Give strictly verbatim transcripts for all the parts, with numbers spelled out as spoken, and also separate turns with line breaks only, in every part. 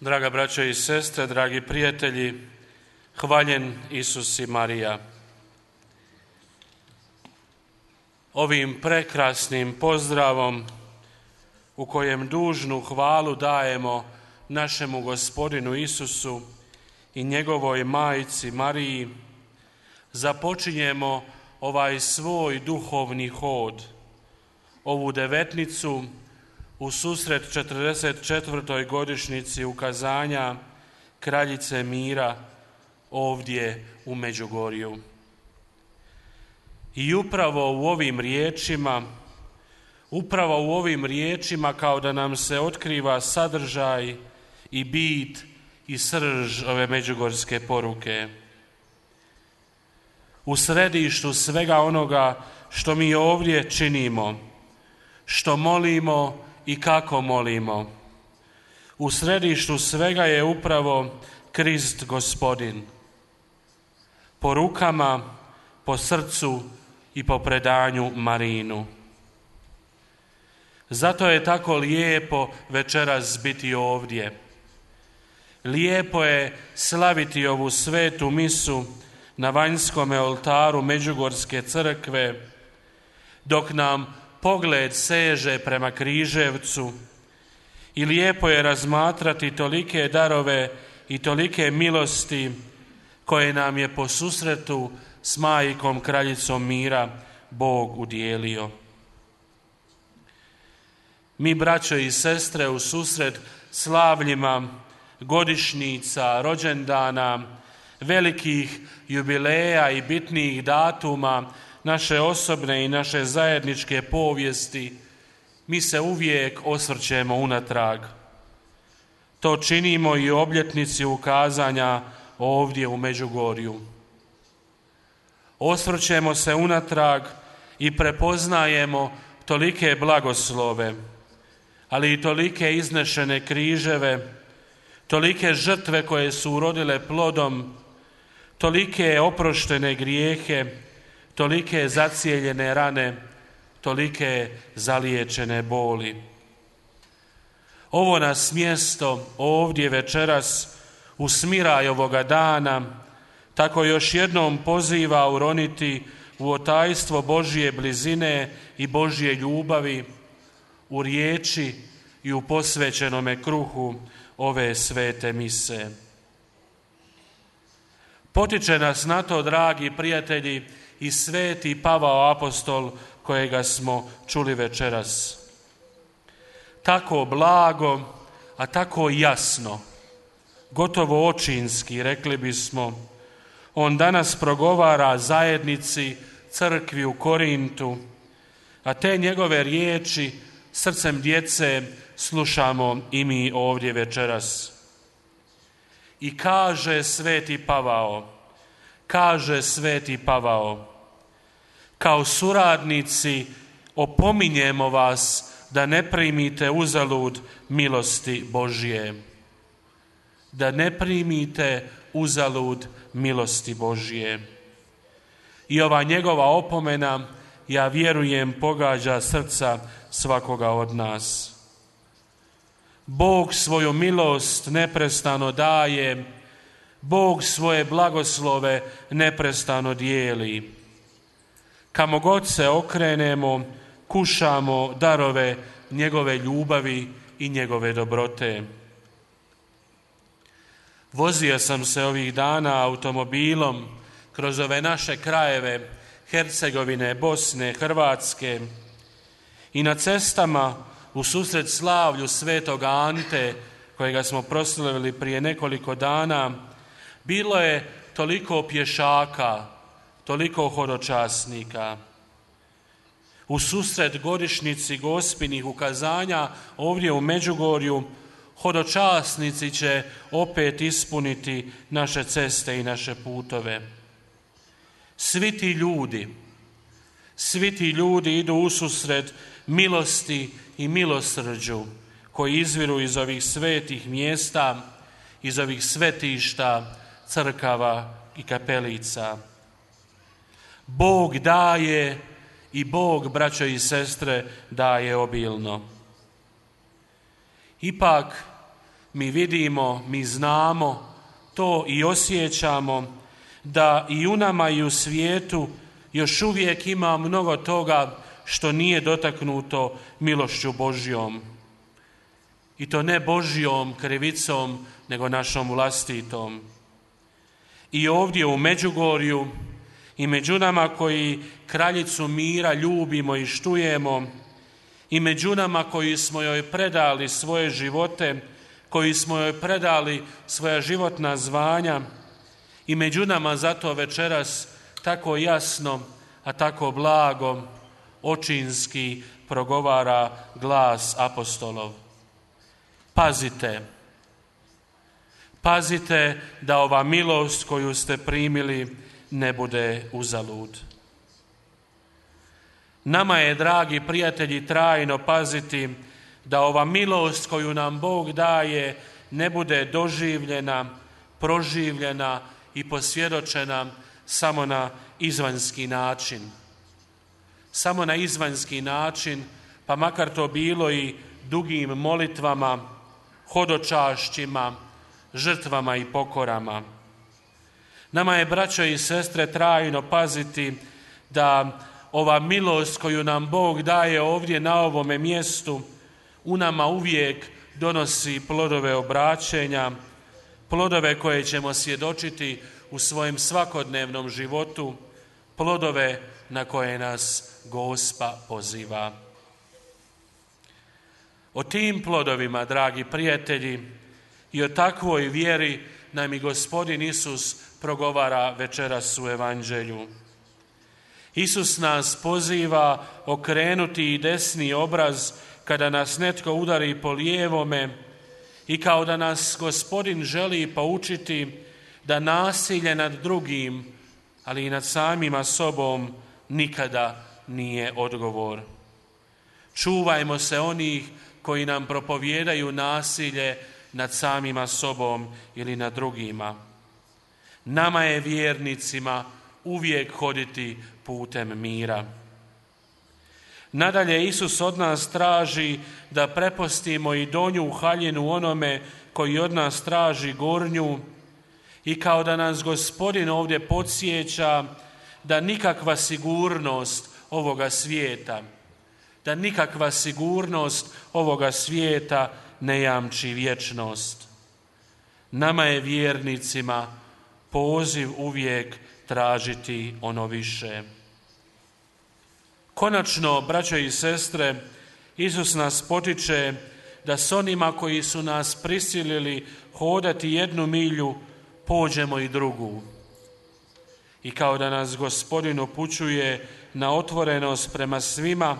Draga braćo i sestre, dragi prijatelji, hvaljen Isus i Marija. Ovim prekrasnim pozdravom u kojem dužnu hvalu dajemo našemu Gospodinu Isusu i njegovoj majci Mariji, započinjemo ovaj svoj duhovni hod, ovu devetnicu u susret četrdeset četvrtoj godišnjici ukazanja Kraljice mira ovdje u Međugorju. I upravo u ovim riječima, upravo u ovim riječima kao da nam se otkriva sadržaj i bit i srž ove međugorske poruke. U središtu svega onoga što mi ovdje činimo, što molimo i kako molimo, u središtu svega je upravo Krist Gospodin. Po rukama, po srcu i po predanju Marinu. Zato je tako lijepo večeras biti ovdje. Lijepo je slaviti ovu svetu misu na vanjskome oltaru Međugorske crkve, dok nam pogled seže prema Križevcu, i lijepo je razmatrati tolike darove i tolike milosti koje nam je po susretu s majkom Kraljicom mira Bog udijelio. Mi, braćo i sestre, u susret slavljima godišnjica, rođendana, velikih jubileja i bitnih datuma naše osobne i naše zajedničke povijesti, mi se uvijek osvrćemo unatrag. To činimo i u obljetnici ukazanja ovdje u Međugorju. Osvrćemo se unatrag i prepoznajemo tolike blagoslove, ali i tolike iznešene križeve, tolike žrtve koje su urodile plodom, tolike oproštene grijehe, tolike zacijeljene rane, tolike zaliječene boli. Ovo nas mjesto ovdje večeras u smiraj ovoga dana tako još jednom poziva uroniti u otajstvo Božje blizine i Božje ljubavi, u riječi i u posvećenome kruhu ove svete mise. Potiče nas na to, dragi prijatelji, i sveti Pavao apostol kojega smo čuli večeras. Tako blago, a tako jasno, gotovo očinski, rekli bismo, on danas progovara zajednici, crkvi u Korintu, a te njegove riječi srcem djece slušamo i mi ovdje večeras. I kaže sveti Pavao, kaže sveti Pavao, kao suradnici opominjemo vas da ne primite uzalud milosti Božje. Da ne primite uzalud milosti Božje. I ova njegova opomena, ja vjerujem, pogađa srca svakoga od nas. Bog svoju milost neprestano daje, Bog svoje blagoslove neprestano dijeli. Kamo god se okrenemo, kušamo darove njegove ljubavi i njegove dobrote. Vozio sam se ovih dana automobilom kroz ove naše krajeve Hercegovine, Bosne, Hrvatske, i na cestama u susret slavlju svetog Ante, kojega smo proslavili prije nekoliko dana, bilo je toliko pješaka, toliko hodočasnika. U susret godišnjici Gospinih ukazanja ovdje u Međugorju hodočasnici će opet ispuniti naše ceste i naše putove. Svi ti ljudi, svi ti ljudi idu ususret milosti i milosrđu koji izviru iz ovih svetih mjesta, iz ovih svetišta, crkava i kapelica. Bog daje i Bog, braćo i sestre, daje obilno. Ipak mi vidimo, mi znamo, to i osjećamo, da i u nama i u svijetu još uvijek ima mnogo toga što nije dotaknuto milošću Božjom. I to ne Božjom krivicom, nego našom vlastitom. I ovdje u Međugorju i među nama koji kraljicu mira ljubimo i štujemo, i među nama koji smo joj predali svoje živote, koji smo joj predali svoja životna zvanja, i među nama zato večeras tako jasno, a tako blago, očinski progovara glas apostolov. Pazite, pazite da ova milost koju ste primili ne bude uzalud. Nama je, dragi prijatelji, trajno paziti da ova milost koju nam Bog daje ne bude doživljena, proživljena i posvjedočena samo na izvanjski način. Samo na izvanjski način, pa makar to bilo i dugim molitvama, hodočašćima, žrtvama i pokorama. Nama je, braćo i sestre, trajno paziti da ova milost koju nam Bog daje ovdje na ovome mjestu u nama uvijek donosi plodove obraćenja, plodove koje ćemo svjedočiti u svojem svakodnevnom životu, plodove na koje nas Gospa poziva. O tim plodovima, dragi prijatelji, i o takvoj vjeri nam i Gospodin Isus progovara večeras u Evanđelju. Isus nas poziva okrenuti i desni obraz kada nas netko udari po lijevome, i kao da nas Gospodin želi poučiti da nasilje nad drugim, ali i nad samima sobom, nikada nije odgovor. Čuvajmo se onih koji nam propovijedaju nasilje nad samima sobom ili nad drugima. Nama je, vjernicima, uvijek hoditi putem mira. Nadalje, Isus od nas traži da prepustimo i donju haljinu onome koji od nas traži gornju, i kao da nas Gospodin ovdje podsjeća da nikakva sigurnost ovoga svijeta, da nikakva sigurnost ovoga svijeta ne jamči vječnost. Nama je, vjernicima, poziv uvijek tražiti ono više. Konačno, braćo i sestre, Isus nas potiče da s onima koji su nas prisilili hodati jednu milju, pođemo i drugu. I kao da nas Gospodin upućuje na otvorenost prema svima,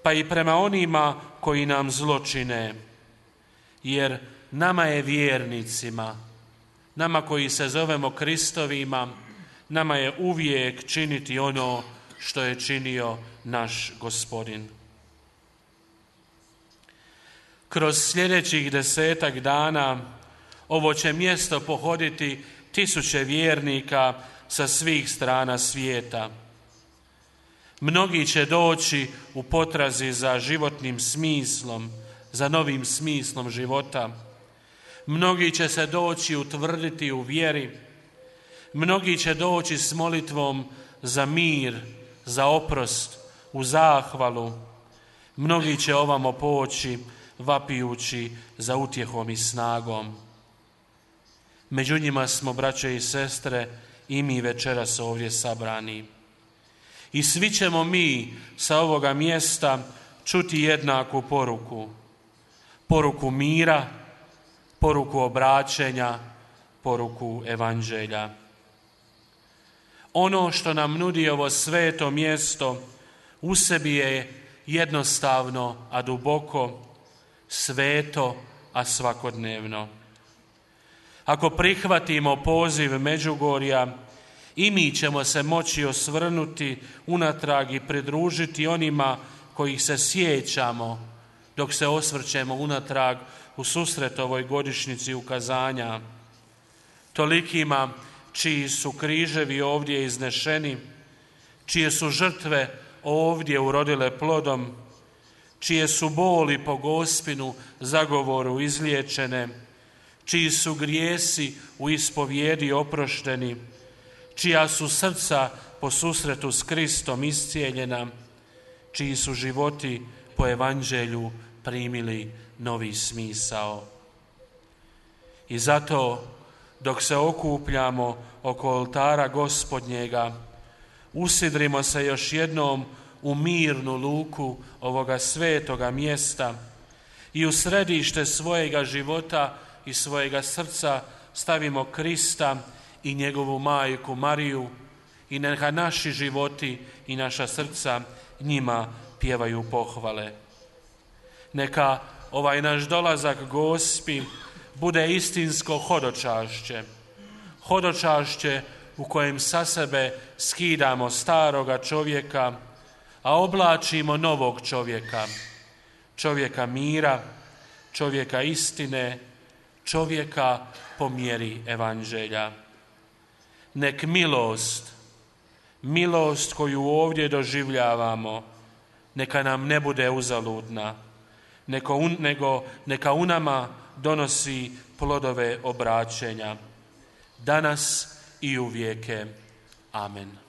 pa i prema onima koji nam zlo čine. Jer nama je, vjernicima, nama koji se zovemo Kristovima, nama je uvijek činiti ono što je činio naš Gospodin. Kroz sljedećih desetak dana ovo će mjesto pohoditi tisuće vjernika sa svih strana svijeta. Mnogi će doći u potrazi za životnim smislom, za novim smislom života. Mnogi će se doći utvrditi u vjeri. Mnogi će doći s molitvom za mir, za oprost, u zahvalu. Mnogi će ovamo poći vapijući za utjehom i snagom. Među njima smo, braće i sestre, i mi večeras ovdje sabrani. I svi ćemo mi sa ovoga mjesta čuti jednaku poruku. Poruku mira, poruku obraćenja, poruku Evanđelja. Ono što nam nudi ovo sveto mjesto u sebi je jednostavno, a duboko, sveto, a svakodnevno. Ako prihvatimo poziv Međugorja, i mi ćemo se moći osvrnuti unatrag i pridružiti onima kojih se sjećamo dok se osvrćemo unatrag u susret ovoj godišnjici ukazanja. Tolikima čiji su križevi ovdje iznešeni, čije su žrtve ovdje urodile plodom, čije su boli po Gospinu zagovoru izliječene, čiji su grijesi u ispovjedi oprošteni, čija su srca po susretu s Kristom iscijeljena, čiji su životi po evanđelju primili novi smisao. I zato, dok se okupljamo oko oltara Gospodnjega, usidrimo se još jednom u mirnu luku ovoga svetoga mjesta i u središte svojega života i svojega srca stavimo Krista i njegovu majku Mariju i neka naši životi i naša srca njima pjevaju pohvale. Neka ovaj naš dolazak Gospi bude istinsko hodočašće, hodočašće u kojem sa sebe skidamo staroga čovjeka, a oblačimo novog čovjeka, čovjeka mira, čovjeka istine, čovjeka po mjeri evanđelja. Nek milost, milost koju ovdje doživljavamo, neka nam ne bude uzaludna, nego, nego neka u nama donosi plodove obraćenja, danas i uvijeke. Amen.